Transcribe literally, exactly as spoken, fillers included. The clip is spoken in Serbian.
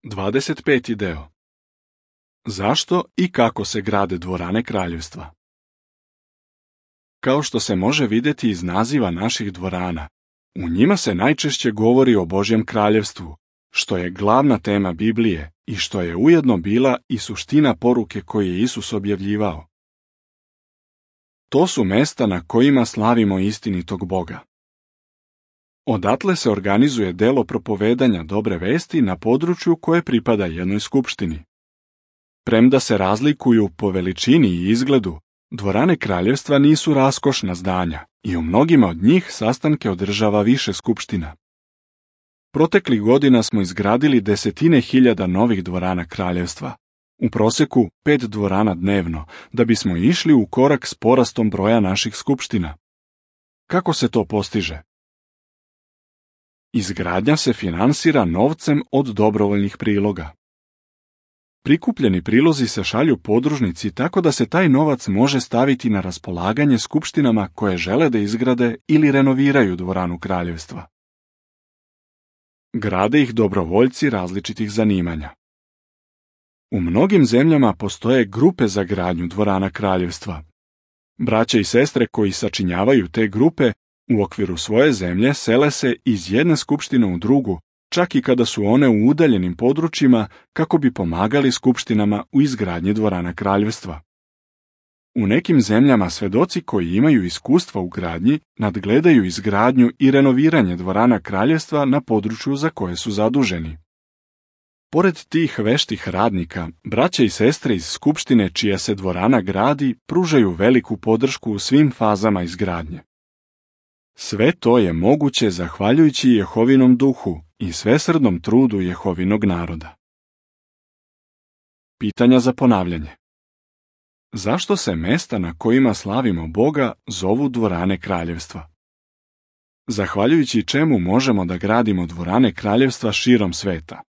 dvadeset peti deo. Zašto i kako se grade dvorane kraljevstva? Kao što se može vidjeti iz naziva naših dvorana, u njima se najčešće govori o Božjem kraljevstvu, što je glavna tema Biblije i što je ujedno bila i suština poruke koju je Isus objavljivao. To su mesta na kojima slavimo istinitog Boga. Odatle se organizuje delo propovedanja dobre vesti na području koje pripada jednoj skupštini. Premda se razlikuju po veličini i izgledu, dvorane kraljevstva nisu raskošna zdanja i u mnogima od njih sastanke održava više skupština. Proteklih godina smo izgradili desetine hiljada novih dvorana kraljevstva, u proseku pet dvorana dnevno, da bismo išli u korak s porastom broja naših skupština. Kako se to postiže? Izgradnja se finansira novcem od dobrovoljnih priloga. Prikupljeni prilozi se šalju podružnici tako da se taj novac može staviti na raspolaganje skupštinama koje žele da izgrade ili renoviraju dvoranu kraljevstva. Grade ih dobrovoljci različitih zanimanja. U mnogim zemljama postoje grupe za gradnju dvorana kraljevstva. Braća i sestre koji sačinjavaju te grupe u okviru svoje zemlje sele se iz jedne skupštine u drugu, čak i kada su one u udaljenim područjima, kako bi pomagali skupštinama u izgradnji dvorana kraljevstva. U nekim zemljama svedoci koji imaju iskustva u gradnji nadgledaju izgradnju i renoviranje dvorana kraljevstva na području za koje su zaduženi. Pored tih veštih radnika, braća i sestre iz skupštine čija se dvorana gradi pružaju veliku podršku u svim fazama izgradnje. Sve to je moguće zahvaljujući Jehovinom duhu i svesrdnom trudu Jehovinog naroda. Pitanja za ponavljanje. Zašto se mesta na kojima slavimo Boga zovu dvorane kraljevstva? Zahvaljujući čemu možemo da gradimo dvorane kraljevstva širom sveta?